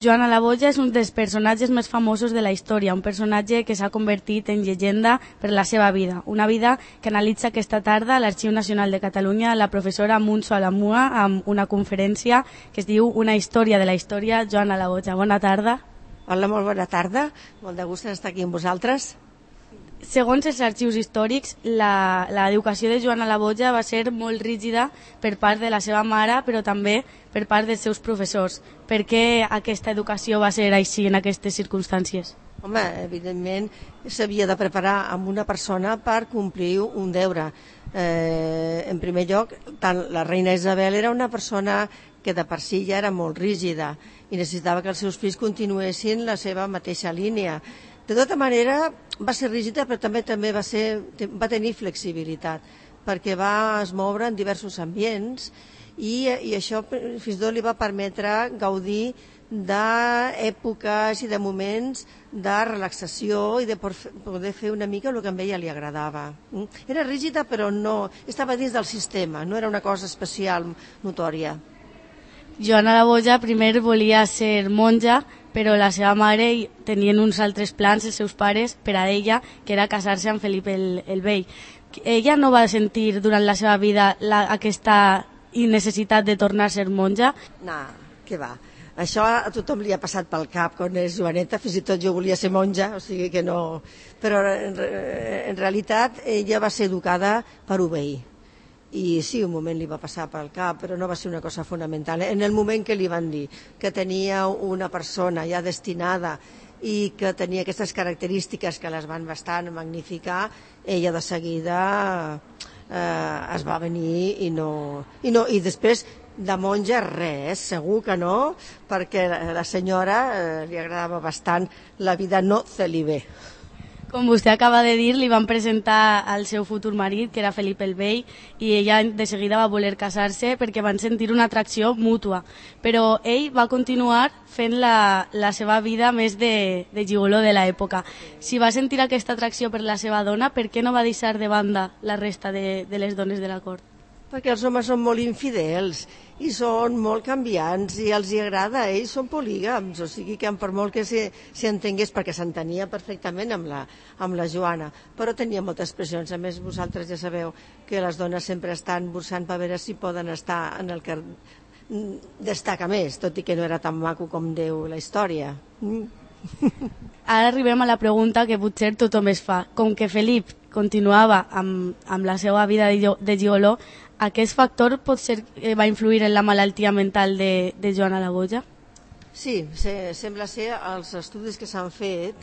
Joana la Boja és un dels personatges més famosos de la història, un personatge que s'ha convertit en llegenda per la seva vida. Una vida que analitza aquesta tarda a l'Arxiu Nacional de Catalunya la professora Muntso Alamua amb una conferència que es diu Una història de la història, Joana la Boja. Bona tarda. Hola, molt bona tarda. Molt de gust estar aquí amb vosaltres. Segons els arxius històrics, l'educació de Joana la Boja va ser molt rígida per part de la seva mare, però també per part dels seus professors. Per què aquesta educació va ser així en aquestes circumstàncies? Home, evidentment s'havia de preparar amb una persona per complir un deure. En primer lloc, tant la reina Isabel era una persona que de per si ja era molt rígida i necessitava que els seus fills continuessin la seva mateixa línia. De tota manera, va ser rígida, però també va tenir flexibilitat, perquè va es moure en diversos ambients i això fins i tot li va permetre gaudir d'èpoques i de moments de relaxació i de poder fer una mica el que a ella li agradava. Era rígida, però no estava dins del sistema, no era una cosa especial, notòria. Joana la Boja primer volia ser monja, però la seva mare tenien uns altres plans, els seus pares, per a ella, que era casar-se amb Felip el Vell. Ella no va sentir durant la seva vida aquesta necessitat de tornar a ser monja? No, què va. Això a tothom li ha passat pel cap quan és joveneta, fins i tot jo volia ser monja, o sigui que no... Però en realitat ella va ser educada per obeir. I sí, un moment li va passar pel cap, però no va ser una cosa fonamental. En el moment que li van dir que tenia una persona ja destinada i que tenia aquestes característiques que les van bastant magnificar, ella de seguida es va venir i després de monja res, segur que no, perquè a la senyora li agradava bastant la vida no celibé. Com vostè acaba de dir, li van presentar al seu futur marit, que era Felip el Vell, i ella de seguida va voler casar-se perquè van sentir una atracció mútua. Però ell va continuar fent la seva vida més de gigoló de l'època. Si va sentir aquesta atracció per la seva dona, per què no va deixar de banda la resta de les dones de la cort? Perquè els homes són molt infidels i són molt canviants i els hi agrada, ells són polígams, o sigui que per molt que s'hi entengués, perquè s'entenia perfectament amb la Joana, però tenia moltes pressions. A més, vosaltres ja sabeu que les dones sempre estan buscant per veure si poden estar en el que destaca més, tot i que no era tan maco com diu la història. Ara arribem a la pregunta que potser tothom es fa. Com que Felip continuava amb la seva vida de gigoló, aquest factor pot ser que va influir en la malaltia mental de Joana la Boja? Sí, sembla ser, els estudis que s'han fet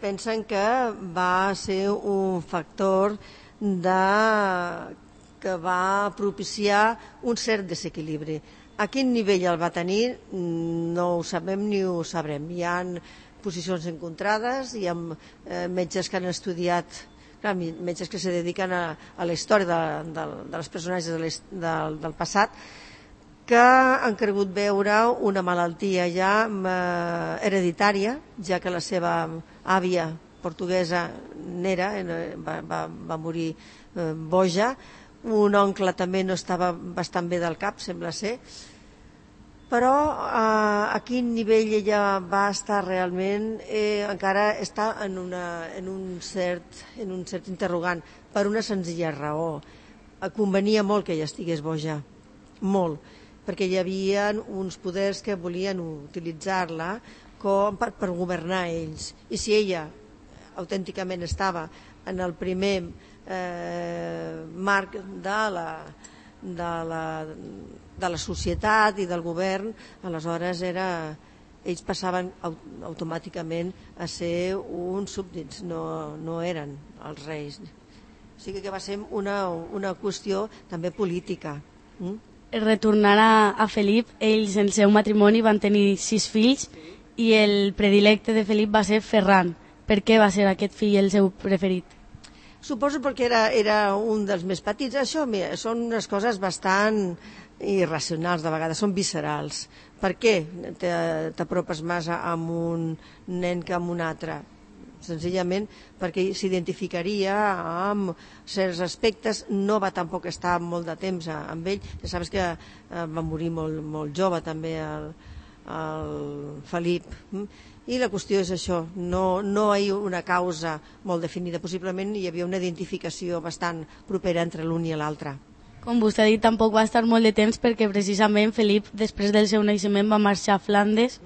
pensen que va ser un factor que va propiciar un cert desequilibri. A quin nivell el va tenir no ho sabem ni ho sabrem. Hi ha posicions encontrades, hi ha metges que han estudiat, metges que se dediquen a la història dels personatges del passat, que han cregut veure una malaltia ja hereditària, ja que la seva àvia portuguesa n'era, va morir boja, un oncle també no estava bastant bé del cap, sembla ser, però a quin nivell ella va estar realment encara està en un cert interrogant, per una senzilla raó. Convenia molt que ella estigués boja, molt, perquè hi havia uns poders que volien utilitzar-la com per governar ells, i si ella autènticament estava en el primer marc de la societat i del govern, aleshores ells passaven automàticament a ser uns súbdits, no eren els reis. O sigui que va ser una qüestió també política. Retornant a Felip, ells en el seu matrimoni van tenir 6 fills i el predilecte de Felip va ser Ferran. Per què va ser aquest fill el seu preferit? Suposo perquè era un dels més petits. Això són unes coses bastant irracionals de vegades, són viscerals. Per què t'apropes més amb un nen que amb un altre? Senzillament perquè s'identificaria amb certs aspectes, no va tampoc estar molt de temps amb ell, ja saps que va morir molt jove també el Felip. I la qüestió és això, no hi ha una causa molt definida, possiblement hi havia una identificació bastant propera entre l'un i l'altre. Com vostè ha dit, tampoc va estar molt de temps perquè precisament Felip, després del seu naixement, va marxar a Flandes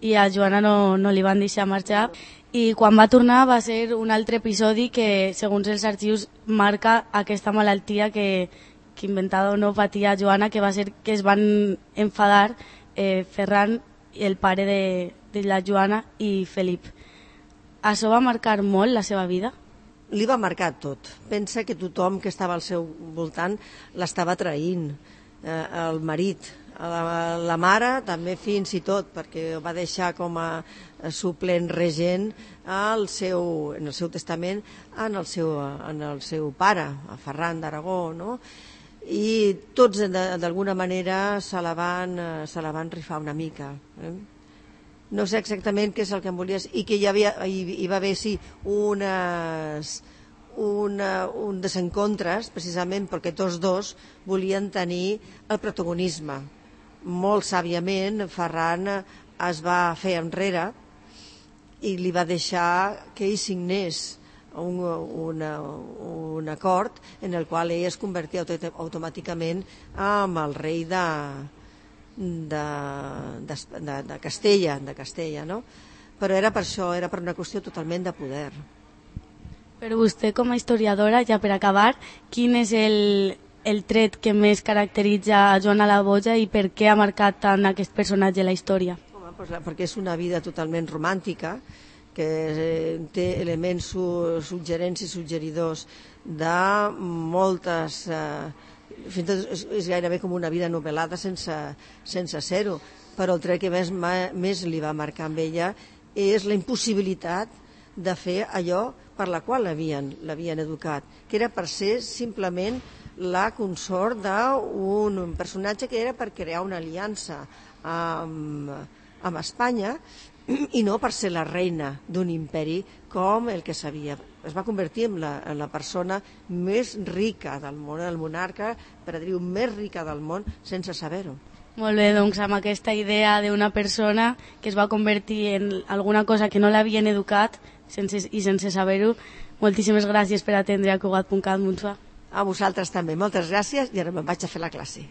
i a Joana no li van deixar marxar. I quan va tornar va ser un altre episodi que, segons els arxius, marca aquesta malaltia que inventada o no patia Joana, que va ser que es van enfadar Ferran, el pare de la Joana, i Felip. Això va marcar molt la seva vida? Li va marcar tot. Pensa que tothom que estava al seu voltant l'estava traint. El marit, la mare també fins i tot, perquè ho va deixar com a suplent regent en el seu testament en el seu pare, a Ferran d'Aragó, no? I tots d'alguna manera se la van rifar una mica. No sé exactament què és el que em volies, i que hi va haver sí un desencontres precisament perquè tots dos volien tenir el protagonisme. Molt sàviament Ferran es va fer enrere i li va deixar que ell signés un acord en el qual ell es convertia automàticament en el rei de Castella, no? Però era per això, era per una qüestió totalment de poder. Però vostè, com a historiadora, ja per acabar, quin és el tret que més caracteritza a Joana la Boja i per què ha marcat tant aquest personatge a la història? Home, perquè és una vida totalment romàntica, que té elements suggerents i suggeridors de moltes... fins i tot és gairebé com una vida novel·lada sense ser-ho, però el tret que més li va marcar amb ella és la impossibilitat de fer allò per la qual l'havien educat, que era per ser simplement la consort d'un personatge que era per crear una aliança amb Espanya i no per ser la reina d'un imperi com el que sabia. Es va convertir en la persona més rica del món, el monarca, per a dir-ho, més rica del món, sense saber-ho. Molt bé, doncs amb aquesta idea d'una persona que es va convertir en alguna cosa que no l'havien educat i sense saber-ho, moltíssimes gràcies per atendre a Cugat.cat, Montsuà. A vosaltres també, moltes gràcies, i ara me'n vaig a fer la classe.